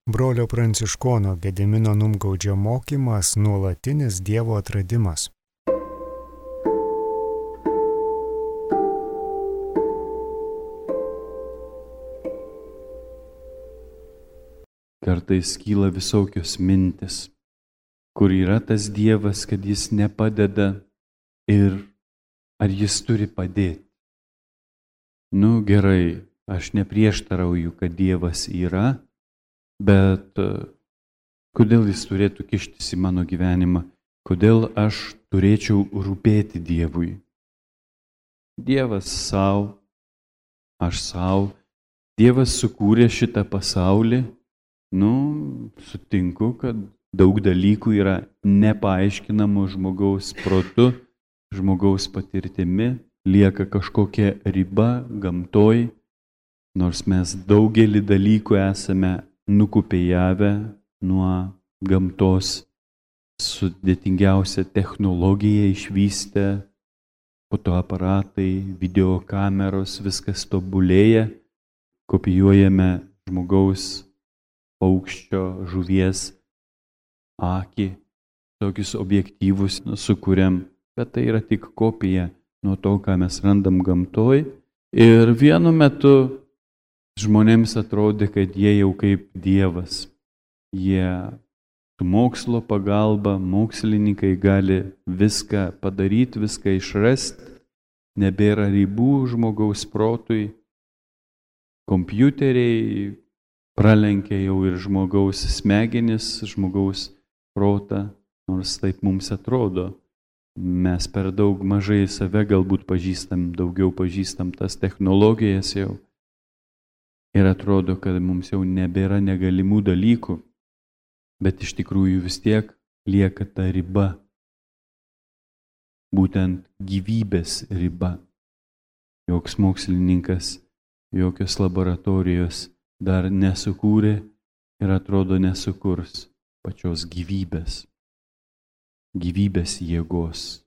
Brolio Pranciškono Gedimino Numgaudžio mokymas – nuolatinis Dievo atradimas. Kartais kyla visokios mintis, kur yra tas Dievas, kad jis nepadeda ir ar jis turi padėti. Gerai, aš neprieštarauju, kad Dievas yra, bet kodėl jis turėtų kištis į mano gyvenimą? Kodėl aš turėčiau rūpėti Dievui? Dievas savo, aš savo. Dievas sukūrė šitą pasaulį. Sutinku, kad daug dalykų yra nepaaiškinamų žmogaus protu, žmogaus patirtimi, lieka kažkokia riba gamtoj, nors mes daugelį dalykų esame nukopijavę nuo gamtos, sudėtingiausią technologiją išvystę, fotoaparatai, videokameros, viskas tobulėja, kopijuojame žmogaus paukščio, žuvies akį, tokius objektyvus sukuriam, bet tai yra tik kopija nuo to, ką mes randam gamtoj. Ir vienu metu žmonėms atrodė, kad jie jau kaip Dievas. Jie su mokslo pagalba, mokslininkai gali viską padaryti, viską išrasti, nebėra ribų žmogaus protui, kompiuteriai pralenkia jau ir žmogaus smegenis, žmogaus protą, nors taip mums atrodo. Mes per daug mažai save galbūt pažįstam, daugiau pažįstam tas technologijas jau. Ir atrodo, kad mums jau nebėra negalimų dalykų, bet iš tikrųjų vis tiek lieka ta riba. Būtent gyvybės riba. Joks mokslininkas, jokios laboratorijos dar nesukūrė ir atrodo nesukurs pačios gyvybės jėgos.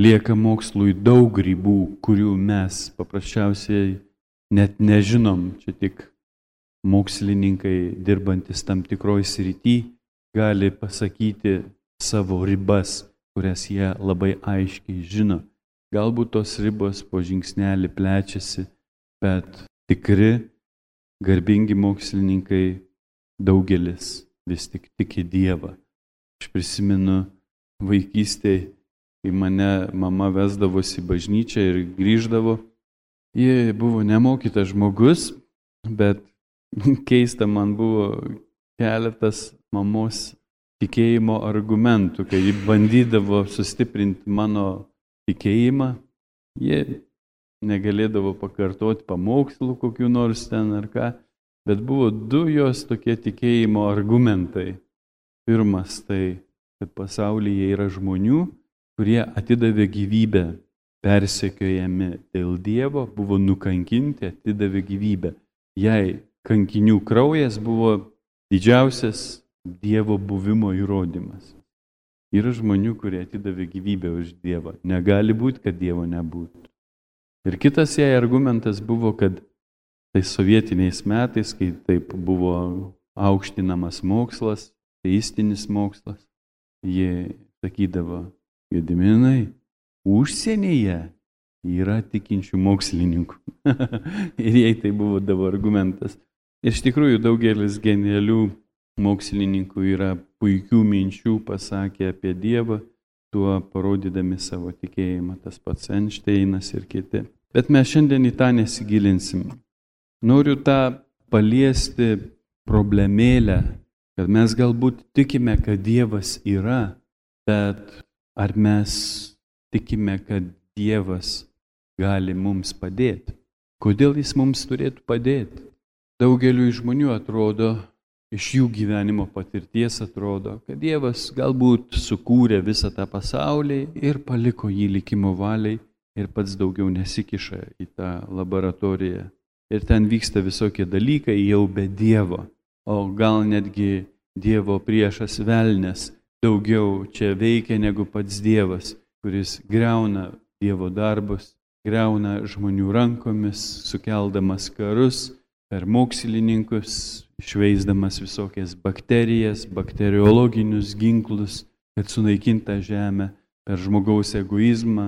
Lieka mokslui daug ribų, kurių mes paprasčiausiai net nežinom. Čia tik mokslininkai, dirbantis tam tikroj srity, gali pasakyti savo ribas, kurias jie labai aiškiai žino. Galbūt tos ribos po žingsnelį plečiasi, bet tikri garbingi mokslininkai daugelis vis tik tiki Dievą. Aš prisimenu vaikystėje, kai mane mama vesdavosi į bažnyčią ir grįždavo. Ji buvo nemokytas žmogus, bet keista man buvo keletas mamos tikėjimo argumentų, kai ji bandydavo sustiprinti mano tikėjimą. Ji negalėdavo pakartoti pamokslų kokių nors ten ar ką, bet buvo du jos tokie tikėjimo argumentai. Pirmas tai, kad pasaulyje yra žmonių, kurie atidavė gyvybę, persekiojami dėl Dievo, buvo nukankinti, atidavė gyvybę. Jei kankinių kraujas buvo didžiausias Dievo buvimo įrodymas. Yra žmonių, kurie atidavė gyvybę už Dievą. Negali būti, kad Dievo nebūtų. Ir kitas jai argumentas buvo, kad tai sovietiniais metais, kai taip buvo aukštinamas mokslas, teistinis mokslas, jie sakydavo: Gediminai, užsienyje yra tikinčių mokslininkų. Ir jai tai buvo argumentas. Ir iš tikrųjų daugelis genialių mokslininkų yra puikių minčių pasakę apie Dievą, tuo parodydami savo tikėjimą, tas pats Einšteinas ir kiti. Bet mes šiandien į tą nesigilinsim. Noriu tą paliesti problemėlę, kad mes galbūt tikime, kad Dievas yra, bet ar mes tikime, kad Dievas gali mums padėti? Kodėl jis mums turėtų padėti? Daugeliu žmonių atrodo, iš jų gyvenimo patirties atrodo, kad Dievas galbūt sukūrė visą tą pasaulį ir paliko jį likimo valiai ir pats daugiau nesikiša į tą laboratoriją. Ir ten vyksta visokie dalykai jau be Dievo. O gal netgi Dievo priešas velnias daugiau čia veikia negu pats Dievas, kuris griauna Dievo darbus, griauna žmonių rankomis, sukeldamas karus, per mokslininkus, išveisdamas visokias bakterijas, bakteriologinius ginklus, kad sunaikinta žemė, per žmogaus egoizmą,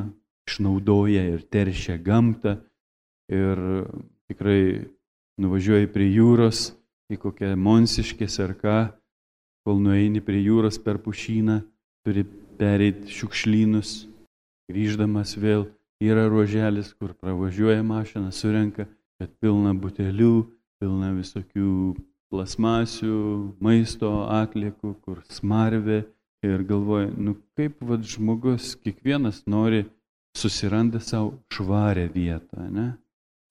išnaudoja ir teršia gamtą. Ir tikrai nuvažiuoji prie jūros, į kokią Monsiškės ar ką, kol nueini prie jūros per pušyną, turi pereiti šiukšlynus, grįždamas vėl yra ruoželis, kur pravažiuoja mašina, surenka, kad pilna butelių, pilna visokių plasmasių, maisto atliekų, kur smarvė ir galvoja, kaip žmogus, kiekvienas nori, susiranda savo švarę vietą, ne?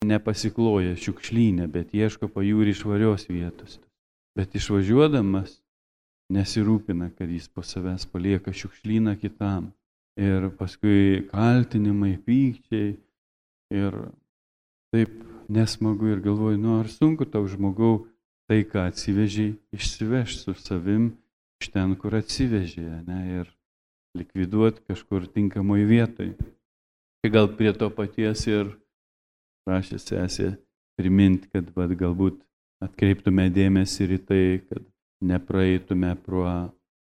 Nepasikloja šiukšlynę, bet ieško pajūrį švarios vietos. Bet išvažiuodamas nesirūpina, kad jis po savęs palieka šiukšlyną kitam. Ir paskui kaltinimai, pykčiai ir taip nesmagu ir galvoju, ar sunku tau žmogau tai, ką atsivežiai, išsivežti su savim iš ten, kur atsivežė, ne, ir likviduoti kažkur tinkamoj vietoj. Gal prie to paties ir prašė sesė priminti, kad galbūt atkreiptume dėmesį ir į tai, kad nepraeitume pro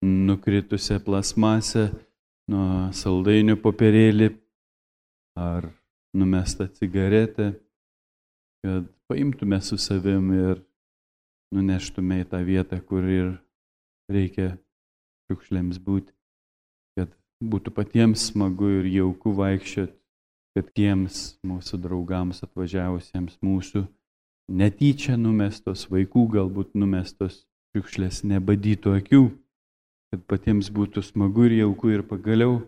nukritusią plasmasę, nuo saldainių popierėlį ar numestą cigaretę, kad paimtume su savim ir nuneštume į tą vietą, kur ir reikia šiukšlėms būti, kad būtų patiems smagu ir jauku vaikščioti, kad tiems mūsų draugams atvažiavusiems mūsų netyčia numestos, vaikų galbūt numestos šiukšlės nebadytų akių, kad patiems būtų smagu ir jauku ir pagaliau,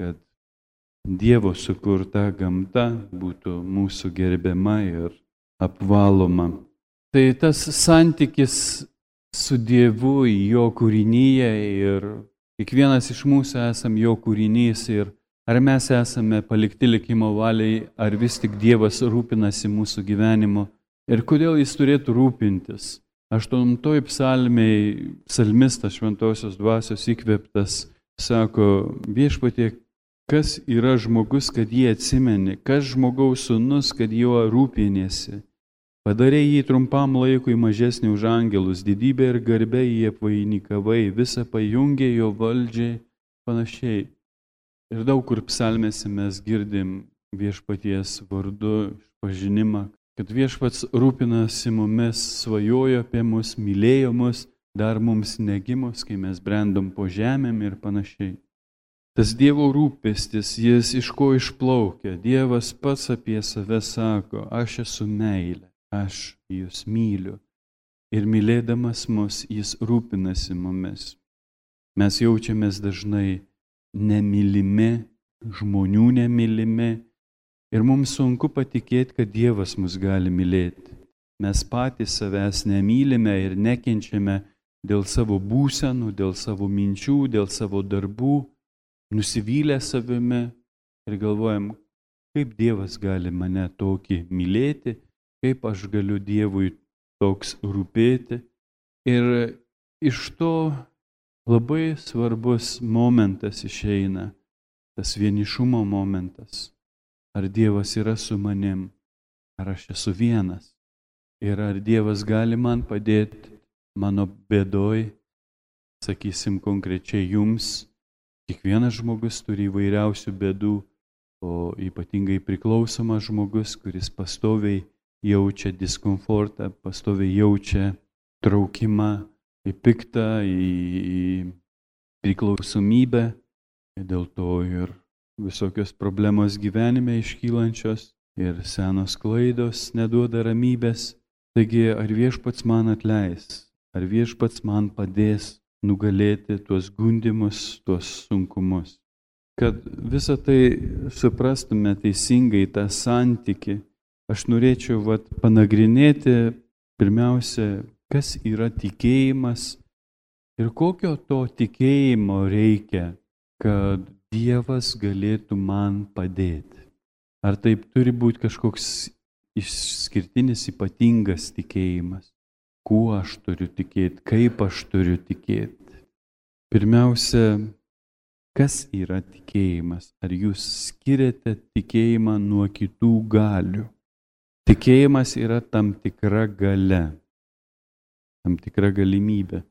kad Dievo sukurta gamta būtų mūsų gerbiama ir apvaloma. Tai tas santykis su Dievu, jo kūrinyje ir kiekvienas iš mūsų esam jo kūrinys ir ar mes esame palikti likimo valiai, ar vis tik Dievas rūpinasi mūsų gyvenimu ir kodėl jis turėtų rūpintis. 8 psalmėje psalmistas šventosios dvasios įkvėptas sako, Viešpatie, kas yra žmogus, kad jį atsimeni, kas žmogaus sūnus, kad juo rūpiniesi. Padarei jį trumpam laikui mažesnį už angelus, didybę ir garbę jį apvainikavai, visą pajungė jo valdžiai, panašiai. Ir daug kur psalmėse mes girdim Viešpaties vardu išpažinimą, kad Viešpats rūpinasi mumis, svajojo apie mus, mylėjo mus, dar mums negimus, kai mes brendom po žemėm ir panašiai. Tas Dievo rūpestis, jis iš ko išplaukia. Dievas pats apie save sako, aš esu meilė, aš jūs myliu. Ir mylėdamas mus, jis rūpinasi mumis. Mes jaučiamės dažnai nemylimi, žmonių nemylimi. Ir mums sunku patikėti, kad Dievas mus gali mylėti. Mes patys savęs nemylime ir nekenčiame dėl savo būsenų, dėl savo minčių, dėl savo darbų. Nusivylę savimi ir galvojam, kaip Dievas gali mane tokį mylėti, kaip aš galiu Dievui toks rūpėti. Ir iš to labai svarbus momentas išeina, tas vienišumo momentas. Ar Dievas yra su manim, ar aš esu vienas. Ir ar Dievas gali man padėti mano bėdoj, sakysim konkrečiai jums. Kiekvienas žmogus turi įvairiausių bėdų, o ypatingai priklausomas žmogus, kuris pastoviai jaučia diskomfortą, pastoviai jaučia traukimą į piktą, į priklausomybę. Dėl to ir visokios problemos gyvenime iškylančios ir senos klaidos neduoda ramybės. Taigi, ar Viešpats man atleis, ar Viešpats man padės nugalėti tuos gundymus, tuos sunkumus. Kad visą tai suprastume teisingai, tą santykį, aš norėčiau panagrinėti pirmiausia, kas yra tikėjimas ir kokio to tikėjimo reikia, kad Dievas galėtų man padėti. Ar taip turi būti kažkoks išskirtinis, ypatingas tikėjimas? Kuo aš turiu tikėti, kaip aš turiu tikėti. Pirmiausia, kas yra tikėjimas? Ar jūs skiriate tikėjimą nuo kitų galių? Tikėjimas yra tam tikra galia, tam tikra galimybė.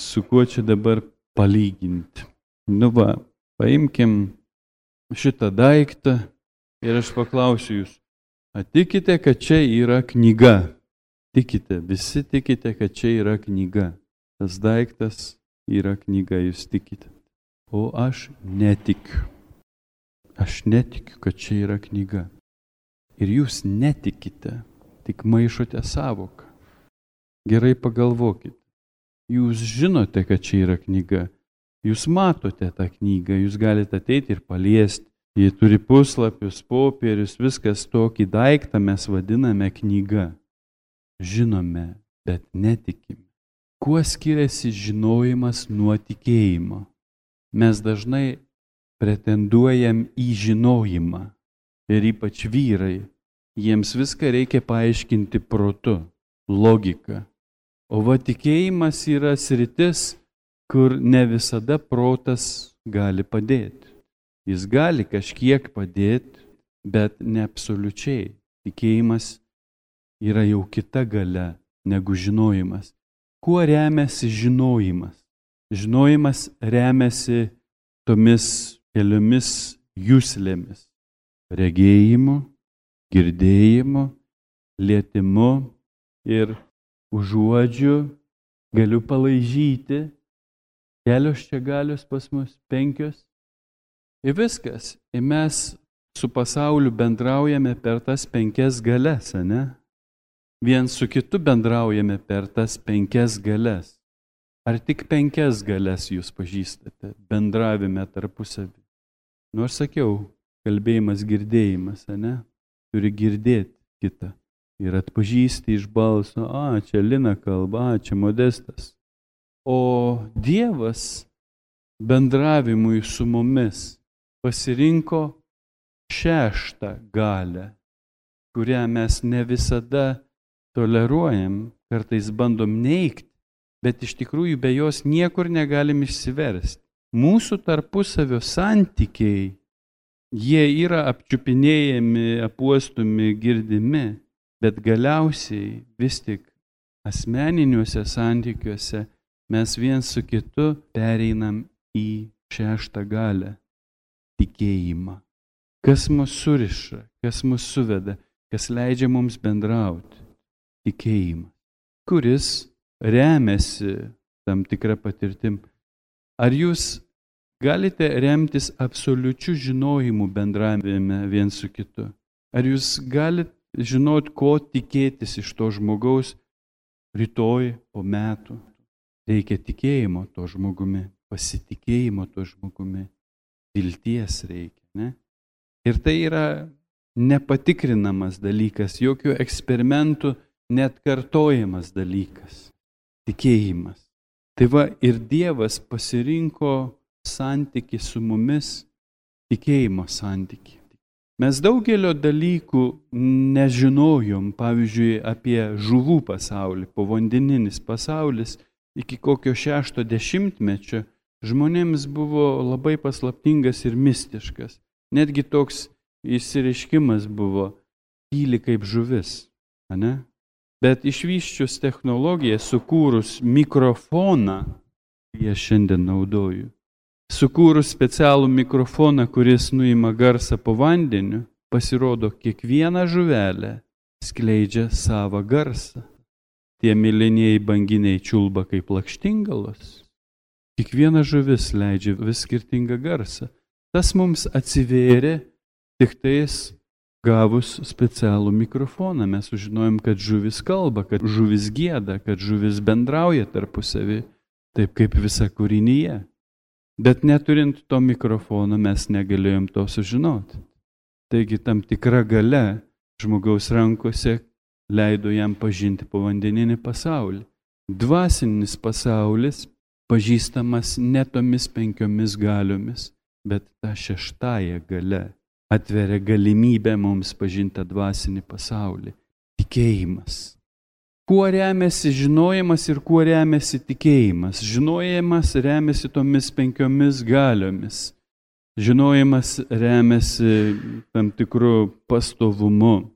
Su kuo čia dabar palyginti? Paimkim šitą daiktą ir aš paklausiu jūs, tikite, kad čia yra knyga? Tikite, visi tikite, kad čia yra knyga. Tas daiktas yra knyga, jūs tikite. O aš netikiu. Aš netikiu, kad čia yra knyga. Ir jūs netikite, tik maišote sąvoką. Gerai pagalvokite. Jūs žinote, kad čia yra knyga. Jūs matote tą knygą, jūs galite ateiti ir paliesti. Jie turi puslapius, popierius, viskas, tokį daiktą mes vadiname knyga. Žinome, bet netikime. Kuo skiriasi žinojimas nuo tikėjimo? Mes dažnai pretenduojam į žinojimą. Ir ypač vyrai. Jiems viską reikia paaiškinti protu, logika. O va tikėjimas yra sritis, kur ne visada protas gali padėti. Jis gali kažkiek padėti, bet ne absoliučiai. Tikėjimas yra jau kita galia negu žinojimas. Kuo remiasi žinojimas? Žinojimas remiasi tomis keliomis juslėmis. Regėjimu, girdėjimu, lietimu ir užuodžiu, galiu palaižyti. Kelios čia galios pas mus, 5. Ir viskas. Ir mes su pasauliu bendraujame per tas 5 galias, ne? Vien su kitu bendraujame per tas 5 galias. Ar tik 5 galias jūs pažįstate bendravime tarpusavį? Nors sakiau, kalbėjimas, girdėjimas, ne? Turi girdėti kitą. Ir atpažįsti iš balso, čia Lina kalba, čia Modestas. O Dievas bendravimui su mumis pasirinko 6 galią, kurią mes ne visada toleruojam, kartais bandom neigti, bet iš tikrųjų be jos niekur negalim išsiversti. Mūsų tarpusavio santykiai, jie yra apčiupinėjami, apuostomi, girdimi, bet galiausiai vis tik asmeniniuose santykiuose mes viens su kitu pereinam į 6 galią – tikėjimą. Kas mus suriša, kas mus suveda, kas leidžia mums bendrauti – tikėjimas, kuris remiasi tam tikrą patirtim. Ar jūs galite remtis absoliučiu žinojimu bendravime viens su kitu? Ar jūs galite žinot, ko tikėtis iš to žmogaus rytoj po metų? Reikia tikėjimo to žmogumi, pasitikėjimo to žmogumi, vilties reikia, ne? Ir tai yra nepatikrinamas dalykas, jokių eksperimentų net kartojamas dalykas. Tikėjimas. Tai va ir Dievas pasirinko santykį su mumis, tikėjimo santykį. Mes daugelio dalykų nežinojom, pavyzdžiui, apie žuvų pasaulį, povandeninis pasaulis iki kokio 60-mečio žmonėms buvo labai paslaptingas ir mistiškas. Netgi toks išsireiškimas buvo tyli kaip žuvis, ne? Bet išvysčius technologiją, sukūrus mikrofoną, kurį aš šiandien naudoju, sukūrus specialų mikrofoną, kuris nuima garsą po vandeniu, pasirodo, kiekviena žuvelė skleidžia savą garsą. Tie mėlynieji banginiai čiulba kaip lakštingalos. Kiekviena žuvis leidžia vis skirtingą garsą. Tas mums atsivėrė tik tais gavus specialų mikrofoną. Mes sužinojom, kad žuvis kalba, kad žuvis gieda, kad žuvis bendrauja tarpusavį, taip kaip visa kūrinyje. Bet neturint to mikrofono mes negalėjom to sužinoti. Taigi tam tikra galia žmogaus rankose leido jam pažinti povandeninį pasaulį. Dvasinis pasaulis pažįstamas ne tomis 5 galiomis, bet tą 6 galia atveria galimybę mums pažinti dvasinį pasaulį. Tikėjimas. Kuo remiasi žinojimas ir kuo remiasi tikėjimas? Žinojimas remiasi tomis 5 galiomis. Žinojimas remiasi tam tikru pastovumu.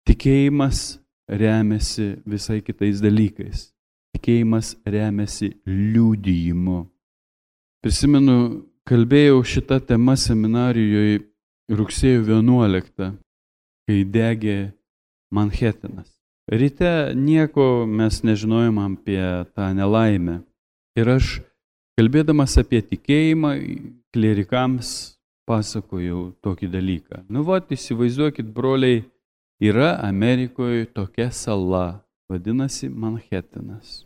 Tikėjimas remiasi visai kitais dalykais. Tikėjimas remiasi liudijimu. Prisimenu, kalbėjau šitą temą seminarijoje rugsėjo 11, kai degė Manhetanas. Ryte nieko mes nežinojom apie tą nelaimę. Ir aš, kalbėdamas apie tikėjimą, klerikams pasakojau tokį dalyką. Įsivaizduokit, broliai, yra Amerikoje tokia sala, vadinasi Manhetanas.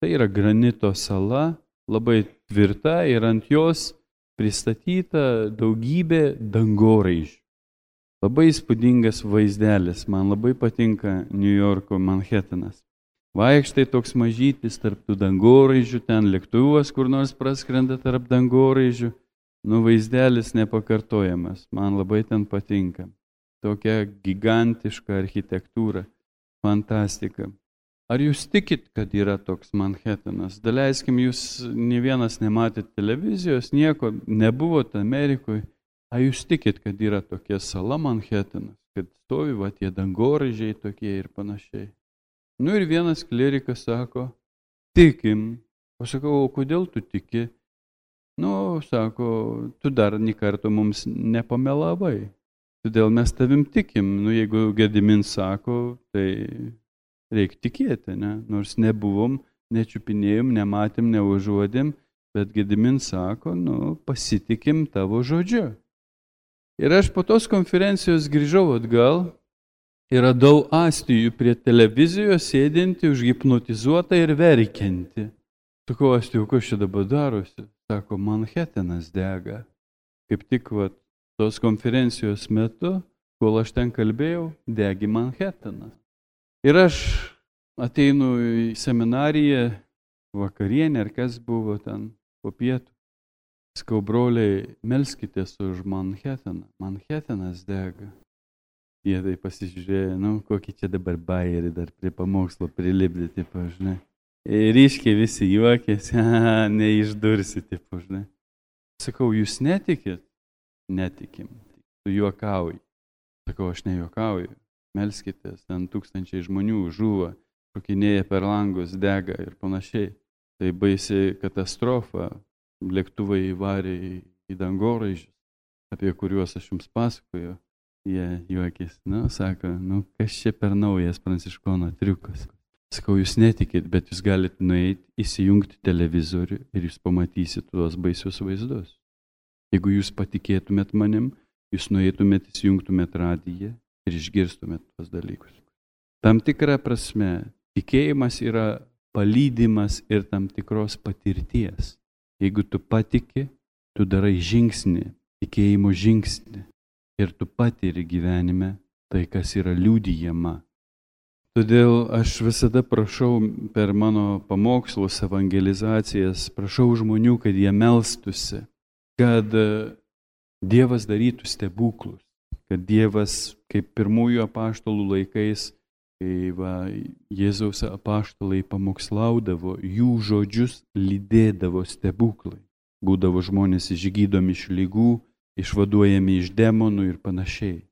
Tai yra granito sala, labai tvirta ir ant jos pristatyta daugybė dangoraižių. Labai įspūdingas vaizdelis, man labai patinka New Yorko Manhetanas. Vaikštai toks mažytis tarp tų dangoraižių, ten lėktuvas kur nors praskrenda tarp dangoraižių. Vaizdelis nepakartojamas, man labai ten patinka. Tokia gigantiška architektūra, fantastika. Ar jūs tikit, kad yra toks Manhetanas? Daleiskim, jūs ne vienas nematėt televizijos, nieko nebuvot Amerikoje. Ar jūs tikit, kad yra tokia sala Manhetanas, kad stovi tie dangoraižiai tokie ir panašiai? Ir vienas klerikas sako, tikim. O sakau, o kodėl tu tiki? Sako, tu dar nė karto mums nepamelavai. Todėl mes tavim tikim. Jeigu Gediminas sako, tai reikia tikėti, ne? Nors nebuvom, nečiupinėjom, nematėm, neužuodėm, bet Gediminas sako, pasitikim tavo žodžiu. Ir aš po tos konferencijos grįžau atgal ir radau Astijų prie televizijos sėdinti, užhipnotizuotą ir verkianti. Sakau, Astijų, kas čia dabar darosi? Sako, Manhetanas dega. Kaip tik tos konferencijos metu, kol aš ten kalbėjau, degi Manhetanas. Ir aš ateinu į seminariją, vakarienę, ar kas buvo ten po pietų. Sakau, broliai, melskitės už Manhetaną. Manhetanas dega. Jie tai pasižiūrėjo, kokį čia dabar bajerį dar prie pamokslo prilipdė, tipo, žinai. Ryškiai visi juokėsi, neišdursi, tipo, žinai. Sakau, jūs netikit? Netikim. Tu juokauji. Sakau, aš nejuokauju. Melskitės, ten tūkstančiai žmonių žuva, šokinėja per langus, dega ir panašiai. Tai baisi katastrofa. Lėktuvai įvarė į dangoraižius, apie kuriuos aš jums pasakoju. Jie juokės, sako, kas čia per naujas pranciškono triukas. Sakau, jūs netikit, bet jūs galite nueiti, įsijungti televizorių ir jūs pamatysit tuos baisius vaizdus. Jeigu jūs patikėtumėt manim, jūs nueitumėt, įsijungtumėt radiją ir išgirstumėt tuos dalykus. Tam tikra prasme, tikėjimas yra palydimas ir tam tikros patirties. Jeigu tu patiki, tu darai žingsnį, tikėjimo žingsnį ir tu patiri gyvenime tai, kas yra liudijama. Todėl aš visada prašau per mano pamokslus, evangelizacijas, prašau žmonių, kad jie melstųsi, kad Dievas darytų stebuklus, kad Dievas, kaip pirmųjų apaštalų laikais, kai Jėzaus apaštalai pamokslaudavo, jų žodžius lydėdavo stebuklai. Būdavo žmonės išgydomi iš ligų, išvaduojami iš demonų ir panašiai.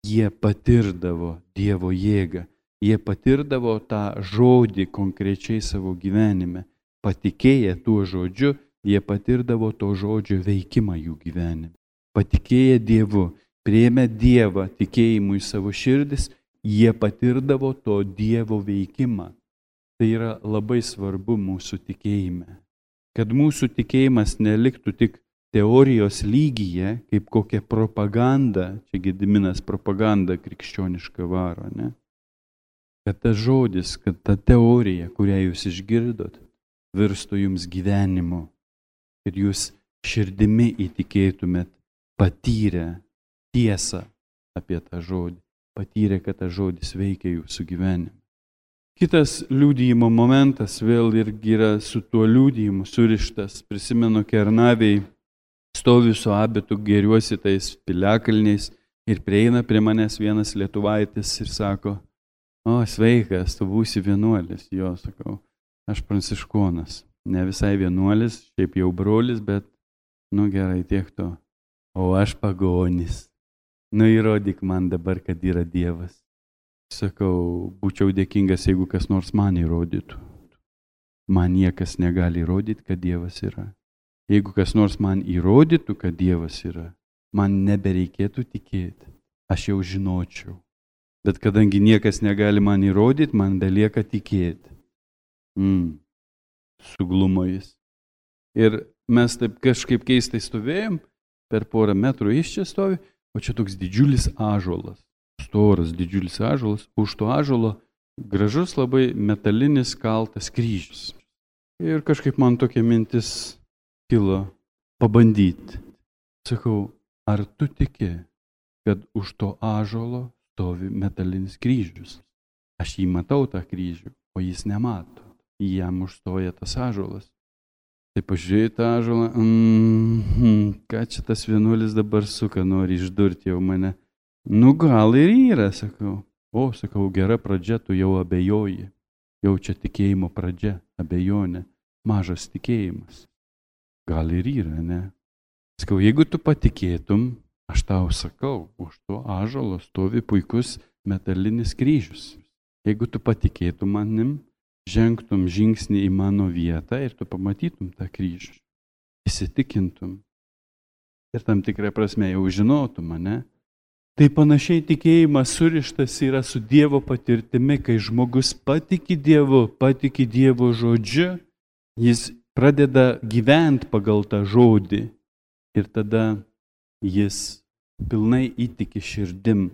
Jie patirdavo Dievo jėgą, jie patirdavo tą žodį konkrečiai savo gyvenime. Patikėję tuo žodžiu, jie patirdavo to žodžio veikimą jų gyvenime. Patikėję Dievu, priėmę Dievą tikėjimu į savo širdis, jie patirdavo to Dievo veikimą. Tai yra labai svarbu mūsų tikėjime. Kad mūsų tikėjimas neliktų tik teorijos lygyje, kaip kokia propaganda, čia Gediminas propaganda krikščioniška varo, ne? Kad tas žodis, kad ta teorija, kurią jūs išgirdot, virstų jums gyvenimu. Ir jūs širdimi įtikėtumėt, patyrę tiesą apie tą žodį. Patyrė, kad tas žodis veikia jūsų gyvenime. Kitas liudijimo momentas vėl irgi yra su tuo liudijimu surištas. Prisimenu, Kernavėj stoviu su abitu, gėriuosi tais piliakalniais ir prieina prie manęs vienas lietuvaitis ir sako, sveikas, tu būsi vienuolis. Jo, sakau, aš pranciškonas. Ne visai vienuolis, šiaip jau brolis, bet, gerai, tiek to. O aš pagonis. Įrodyk man dabar, kad yra Dievas. Sakau, būčiau dėkingas, jeigu kas nors man įrodytų. Man niekas negali įrodyti, kad Dievas yra. Jeigu kas nors man įrodytų, kad Dievas yra, man nebereikėtų tikėti. Aš jau žinočiau. Bet kadangi niekas negali man įrodyti, man belieka tikėti. Suglumo jis. Ir mes taip kažkaip keistai stovėjom, per porą metrų iš čia stovi, o čia toks didžiulis ąžuolas. Storas didžiulis ąžuolas, už to ąžuolo gražus labai metalinis kaltas kryžius. Ir kažkaip man tokia mintis kilo pabandyti. Sakau, ar tu tiki, kad už to ąžuolo stovi metalinis kryžius? Aš jį matau tą kryžių, o jis nemato. Jam užstoja tas ąžuolas. Tai pažiūrėjai tą ąžuolą, ką čia tas vienuolis dabar suka, nori išdurti jau mane. Nu gal ir yra, sakau. O, sakau, gera pradžia, tu jau abejoji. Jau čia tikėjimo pradžia, abejonė, mažas tikėjimas. Gal ir yra, ne? Sakau, jeigu tu patikėtum, aš tau sakau, už to ąžuolo stovi puikus metalinis kryžius. Jeigu tu patikėtum manim, žengtum žingsnį į mano vietą ir tu pamatytum tą kryžių, įsitikintum ir tam tikrą prasme jau žinotum, ne? Tai panašiai tikėjimas surištas yra su Dievo patirtimi, kai žmogus patiki Dievo žodžiu, jis pradeda gyventi pagal tą žodį ir tada jis pilnai įtiki širdim,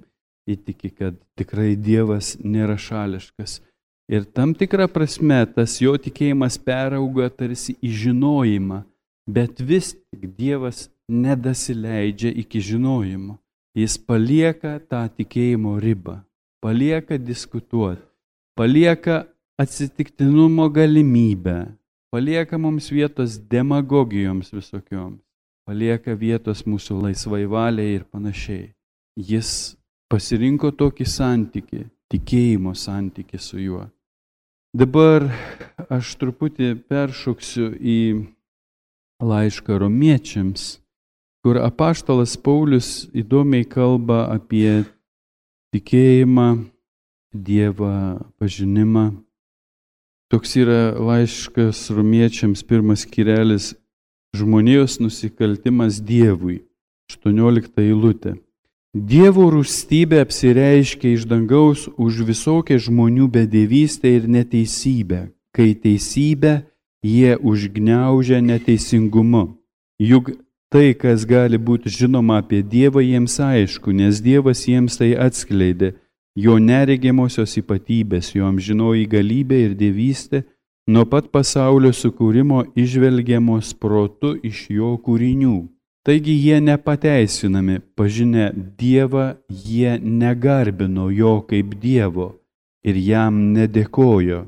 įtiki, kad tikrai Dievas nėra šališkas. Ir tam tikrą prasme tas jo tikėjimas perauga tarsi į žinojimą, bet vis tik Dievas nedasileidžia iki žinojimo. Jis palieka tą tikėjimo ribą, palieka diskutuoti, palieka atsitiktinumo galimybę, palieka mums vietos demagogijoms visokioms, palieka vietos mūsų laisvai valiai ir panašiai. Jis pasirinko tokį santykį, tikėjimo santykį su juo. Dabar aš truputį peršoksiu į laišką Romiečiams, kur apaštalas Paulius įdomiai kalba apie tikėjimą, Dievą pažinimą. Toks yra laiškas Romiečiams, 1 skyrelis, žmonijos nusikaltimas Dievui, 18 eilutė. Dievo rūstybė apsireiškia iš dangaus už visokią žmonių bedevystę ir neteisybę, kai teisybę jie užgniaužia neteisingumu. Juk tai, kas gali būti žinoma apie Dievą, jiems aišku, nes Dievas jiems tai atskleidė, jo neregimosios ypatybės, jo amžinoji galybė ir dievystė, nuo pat pasaulio sukūrimo įžvelgiamos protu iš jo kūrinių. Taigi jie nepateisinami, pažinę Dievą, jie negarbino jo kaip Dievo ir jam nedėkojo,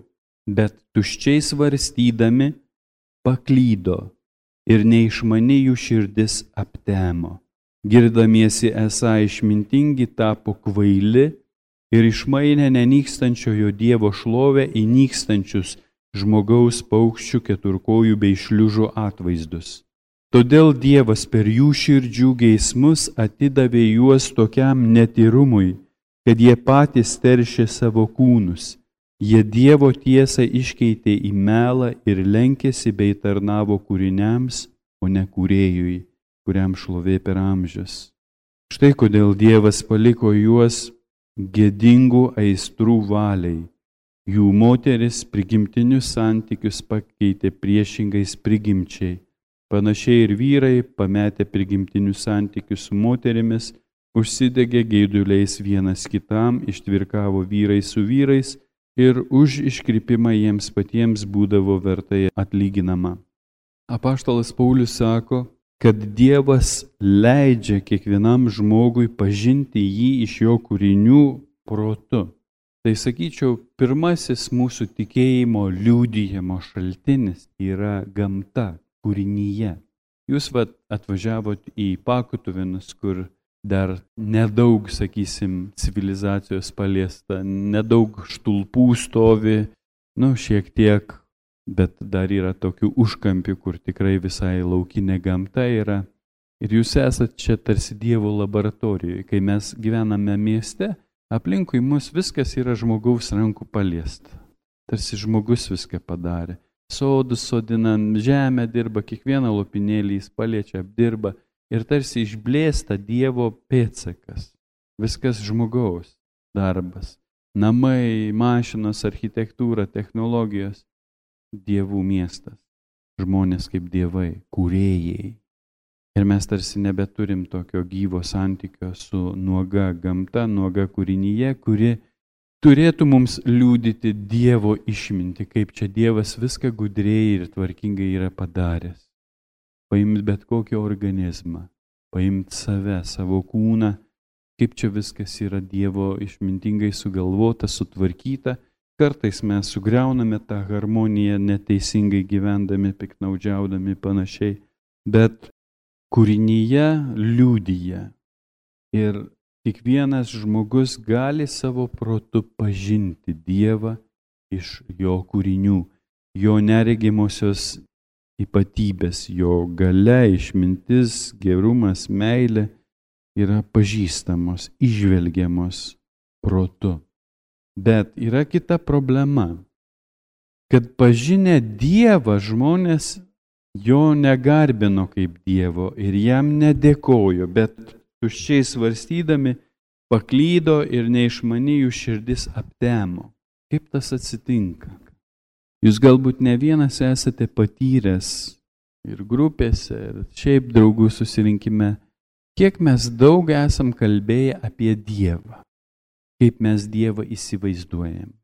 bet tuščiai svarstydami paklydo ir neišmani jų širdis aptemo. Girdamiesi esą išmintingi tapo kvaili ir išmainė nenykstančiojo Dievo šlovę į nykstančius žmogaus, paukščių, keturkojų bei šliužų atvaizdus. Todėl Dievas per jų širdžių geismus atidavė juos tokiam netyrumui, kad jie patys teršė savo kūnus. Jie Dievo tiesą iškeitė į melą ir lenkėsi bei tarnavo kūriniams, o ne kūrėjui, kuriam šlovė per amžius. Štai kodėl Dievas paliko juos gėdingų aistrų valiai. Jų moteris prigimtinius santykius pakeitė priešingais prigimčiai. Panašiai ir vyrai, pametę prigimtinius santykius su moterimis, užsidegė geiduliais vienas kitam, ištvirkavo vyrai su vyrais ir už iškrypimą jiems patiems būdavo vertai atlyginama. Apaštalas Paulius sako, kad Dievas leidžia kiekvienam žmogui pažinti jį iš jo kūrinių protu. Tai sakyčiau, pirmasis mūsų tikėjimo liudijimo šaltinis yra gamta, kūrinyje. Jūs atvažiavot į Pakutuvinus, kur dar nedaug, sakysim, civilizacijos paliesta, nedaug štulpų stovi, šiek tiek, bet dar yra tokių užkampių, kur tikrai visai laukinė gamta yra. Ir jūs esat čia tarsi Dievo laboratorijoje. Kai mes gyvename mieste, Aplinkui mus viskas yra žmogaus rankų paliesta. Tarsi žmogus viską padarė. Sodus sodina, žemę dirba, kiekvieną lopinėlį jis paliečia, apdirba ir tarsi išblėsta Dievo pėdsakas. Viskas žmogaus darbas. Namai, mašinos, architektūra, technologijos. Dievų miestas. Žmonės kaip dievai, kūrėjai. Ir mes tarsi nebeturim tokio gyvo santykio su nuoga gamta, nuoga kūrinyje, kuri turėtų mums liudyti Dievo išmintį, kaip čia Dievas viską gudriai ir tvarkingai yra padaręs. Paimt bet kokį organizmą, paimt save, savo kūną, kaip čia viskas yra Dievo išmintingai sugalvota, sutvarkyta. Kartais mes sugriauname tą harmoniją neteisingai gyvendami, piknaudžiaudami panašiai, bet kūrinyje liudija ir kiekvienas žmogus gali savo protu pažinti Dievą iš jo kūrinių, jo neregimosios ypatybės, jo galia, išmintis, gerumas, meilė yra pažįstamos, įžvelgiamos protu. Bet yra kita problema, kad pažinę Dievą žmonės jo negarbino kaip Dievo ir jam nedėkojo, bet tuščiai svarstydami paklydo ir neišmani jų širdis aptemo. Kaip tas atsitinka? Jūs galbūt ne vienas esate patyręs ir grupėse, ir šiaip draugų susirinkime, kiek mes daug esam kalbėję apie Dievą, kaip mes Dievą įsivaizduojam.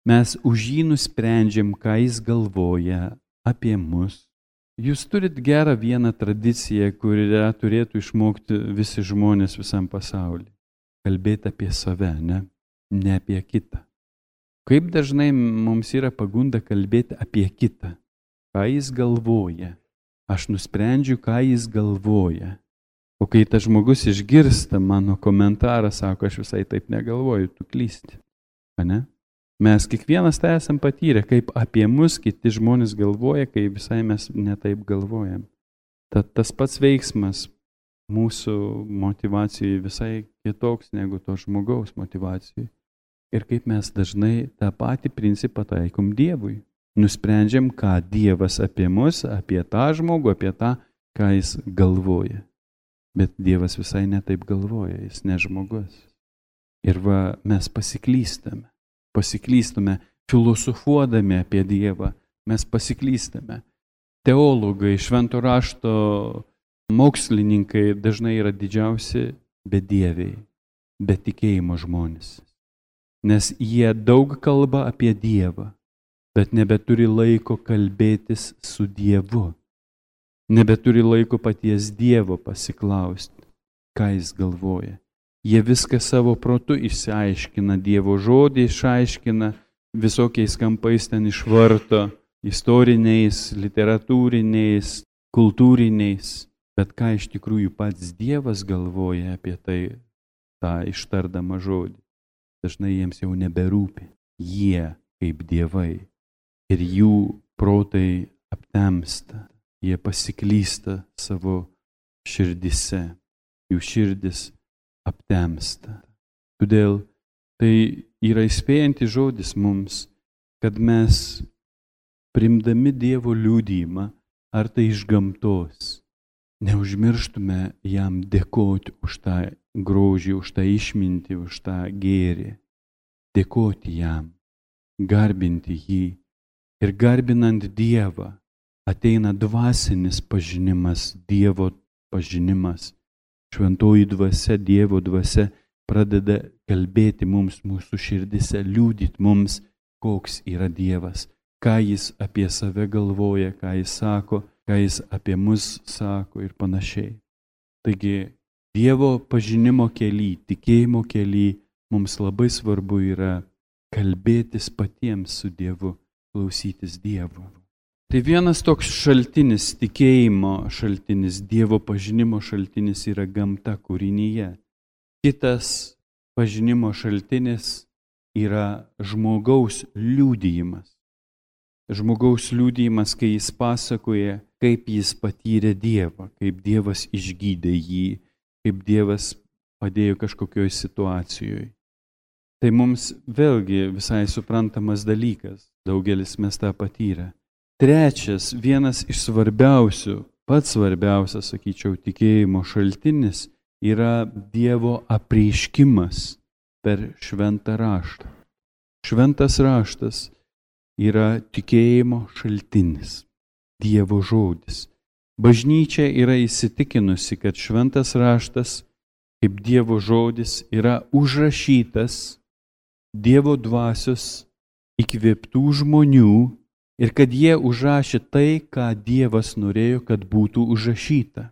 Mes už jį nusprendžiam, ką jis galvoja apie mus. Jūs turit gerą vieną tradiciją, kurią turėtų išmokti visi žmonės visam pasaulyje. Kalbėti apie save, ne apie kitą. Kaip dažnai mums yra pagunda kalbėti apie kitą, ką jis galvoja. Aš nusprendžiu, ką jis galvoja. O kai tas žmogus išgirsta mano komentarą, sako, aš visai taip negalvoju, tu klysti. Ane? Mes kiekvienas tai esam patyrę, kaip apie mus kiti žmonės galvoja, kai visai mes netaip galvojam. Tad tas pats veiksmas mūsų motivacijai visai kitoks negu to žmogaus motivacijai. Ir kaip mes dažnai tą patį principą taikom Dievui. Nusprendžiam, ką Dievas apie mus, apie tą žmogų, apie tą, ką jis galvoja. Bet Dievas visai netaip galvoja, jis ne žmogus. Ir va, mes pasiklystame filosofuodami apie Dievą, mes pasiklystame. Teologai, švento rašto mokslininkai dažnai yra didžiausi bedieviai, be tikėjimo žmonės. Nes jie daug kalba apie Dievą, bet nebeturi laiko kalbėtis su Dievu. Nebeturi laiko paties Dievo pasiklausti, ką jis galvoja. Jie viską savo protu išsiaiškina, Dievo žodį išaiškina, visokiais kampais ten išvarto, istoriniais, literatūriniais, kultūriniais. Bet ką iš tikrųjų pats Dievas galvoja apie tai, tą ištardamą žodį. Dažnai jiems jau neberūpi. Jie kaip dievai ir jų protai aptemsta. Jie pasiklysta savo širdise. Jų širdis aptemsta. Todėl tai yra įspėjantis žodis mums, kad mes priimdami Dievo liudijimą, ar tai iš gamtos, neužmirštume jam dėkoti už tą grožį, už tą išmintį, už tą gėrį. Dėkoti jam, garbinti jį. Ir garbinant Dievą ateina dvasinis pažinimas, Dievo pažinimas. Šventoji dvasia, Dievo dvasia pradeda kalbėti mums mūsų širdise, liudyti mums, koks yra Dievas, ką jis apie save galvoja, ką jis sako, ką jis apie mus sako ir panašiai. Taigi, Dievo pažinimo kely, tikėjimo kely mums labai svarbu yra kalbėtis patiems su Dievu, klausytis Dievo. Tai vienas toks šaltinis, tikėjimo šaltinis, Dievo pažinimo šaltinis yra gamta kūrinyje. Kitas pažinimo šaltinis yra žmogaus liudijimas. Žmogaus liudijimas, kai jis pasakoja, kaip jis patyrė Dievą, kaip Dievas išgydė jį, kaip Dievas padėjo kažkokioje situacijoje. Tai mums vėlgi visai suprantamas dalykas, daugelis mes tą patyrę. Trečias, vienas iš svarbiausių, pats svarbiausias, sakyčiau, tikėjimo šaltinis yra Dievo apreiškimas per šventą raštą. Šventas raštas yra tikėjimo šaltinis, Dievo žodis. Bažnyčia yra įsitikinusi, kad šventas raštas kaip Dievo žodis yra užrašytas Dievo dvasios įkvėptų žmonių ir kad jie užrašė tai, ką Dievas norėjo, kad būtų užrašyta.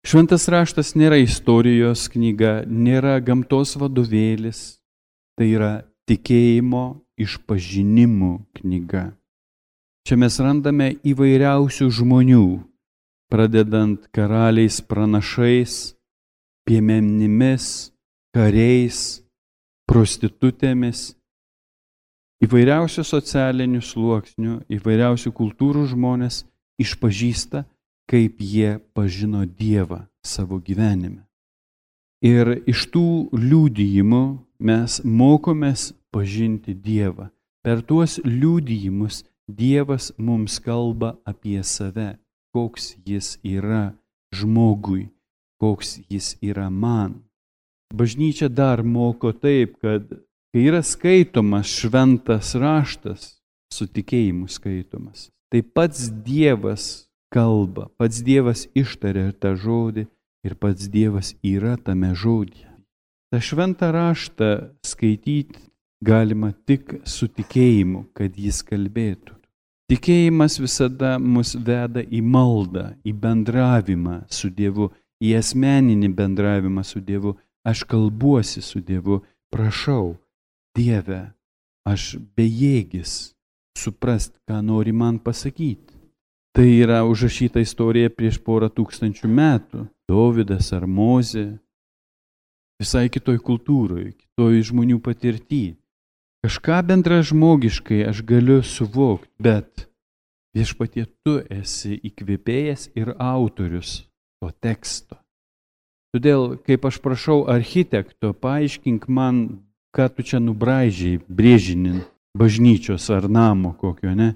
Šventas raštas nėra istorijos knyga, nėra gamtos vadovėlis, tai yra tikėjimo išpažinimų knyga. Čia mes randame įvairiausių žmonių, pradedant karaliais, pranašais, piemenimis, kariais, prostitutėmis, įvairiausių socialinių sluoksnių, įvairiausių kultūrų žmonės išpažįsta, kaip jie pažino Dievą savo gyvenime. Ir iš tų liudijimų mes mokomės pažinti Dievą. Per tuos liudijimus Dievas mums kalba apie save, koks jis yra žmogui, koks jis yra man. Bažnyčia dar moko taip, kad kai yra skaitomas šventas raštas, su tikėjimu skaitomas, tai pats Dievas kalba, pats Dievas ištaria tą žodį ir pats Dievas yra tame žodyje. Ta šventą raštą skaityti galima tik su tikėjimu, kad jis kalbėtų. Tikėjimas visada mus veda į maldą, į bendravimą su Dievu, į asmeninį bendravimą su Dievu. Aš kalbuosi su Dievu, prašau, Dieve, aš bejėgis suprast, ką nori man pasakyti. Tai yra užrašyta istorija prieš 4000 metų. Dovydas ar Mozė, visai kitoj kultūroje, kitoj žmonių patirty. Kažką bendražmogiškai aš galiu suvokti, bet Viešpatie, tu esi įkvėpėjas ir autorius to teksto. Todėl, kaip aš prašau architekto, paaiškink man, ką tu čia nubraižiai, brėžinin bažnyčios ar namo kokio, ne?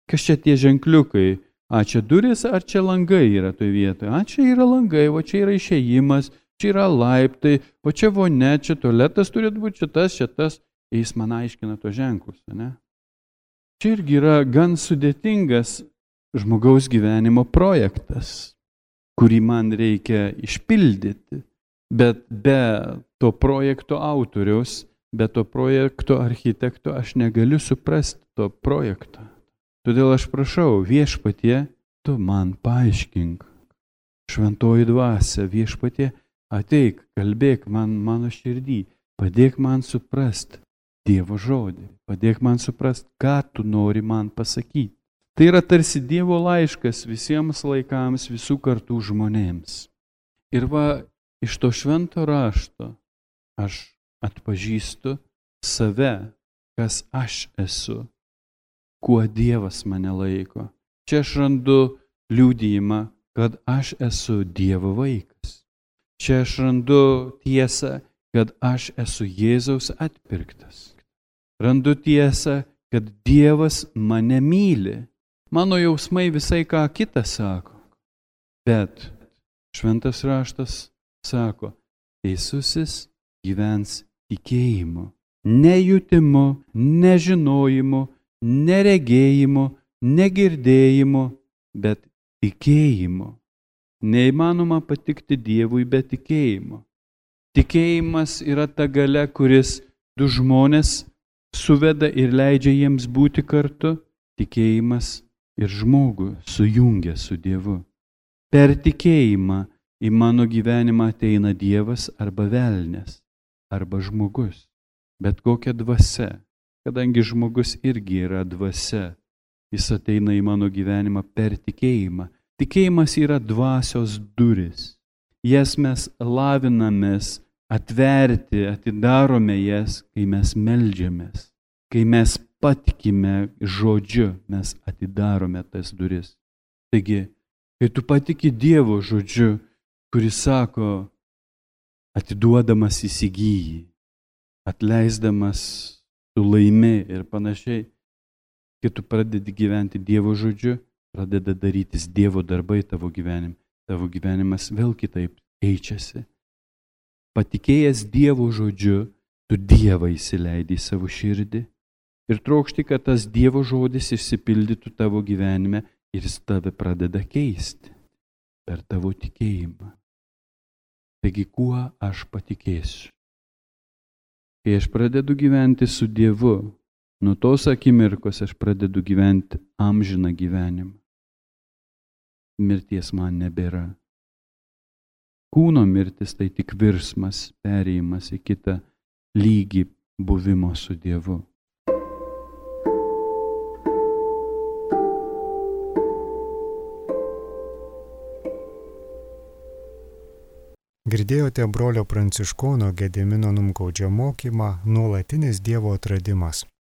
Kas čia tie ženkliukai? A, čia duris, ar čia langai yra toje vietoje? A, čia yra langai, o čia yra išėjimas, čia yra laiptai, o čia vonia, čia tualetas turėtų būti, čia tas. Jis man aiškina to ženklus, ne? Čia irgi yra gan sudėtingas žmogaus gyvenimo projektas, kurį man reikia išpildyti, bet be to projekto autoriaus, be to projekto architekto aš negaliu suprasti to projekto. Todėl aš prašau, Viešpatie, tu man paaiškink. Šventoji dvasia, Viešpatie, ateik, kalbėk man mano širdį, padėk man suprast Dievo žodį, padėk man suprast, ką tu nori man pasakyti. Tai yra tarsi Dievo laiškas visiems laikams, visų kartų žmonėms. Ir va, iš to švento rašto aš atpažįstu save, kas aš esu, kuo Dievas mane laiko. Čia aš randu liudijimą, kad aš esu Dievo vaikas. Čia aš randu tiesą, kad aš esu Jėzaus atpirktas. Randu tiesą, kad Dievas mane myli. Mano jausmai visai ką kitą sako. Bet šventas raštas sako, teisusis gyvens tikėjimu, nejutimu, nežinojimu, neregėjimu, negirdėjimu, bet tikėjimu. Neįmanoma patikti Dievui be tikėjimo. Tikėjimas yra ta galia, kuris du žmonės suveda ir leidžia jiems būti kartu. Tikėjimas ir žmogų sujungia su Dievu. Per tikėjimą į mano gyvenimą ateina Dievas arba velnias, arba žmogus. Bet kokia dvasia, kadangi žmogus irgi yra dvasia, jis ateina į mano gyvenimą per tikėjimą. Tikėjimas yra dvasios duris. Jas mes lavinamės atverti, atidarome jas, kai mes meldžiamės. Kai mes patikime žodžiu, mes atidarome tas duris. Taigi, kai tu patiki Dievo žodžiu, kuris sako, atiduodamas įsigyji, atleisdamas, tu laimi ir panašiai. Kai tu pradedi gyventi Dievo žodžiu, pradeda darytis Dievo darbai tavo gyvenime. Tavo gyvenimas vėl kitaip keičiasi. Patikėjęs Dievo žodžiu, tu Dievą įsileidi į savo širdį ir trokšti, kad tas Dievo žodis išsipildytų tavo gyvenime ir jis tave pradeda keisti per tavo tikėjimą. Taigi, kuo aš patikėsiu? Kai aš pradedu gyventi su Dievu, nuo tos akimirkos aš pradedu gyventi amžiną gyvenimą. Mirties man nebėra. Kūno mirtis tai tik virsmas, perėjimas į kitą lygį buvimo su Dievu. Girdėjote brolio Pranciškono Gedimino Numgaudžio mokymą Nuolatinis Dievo atradimas.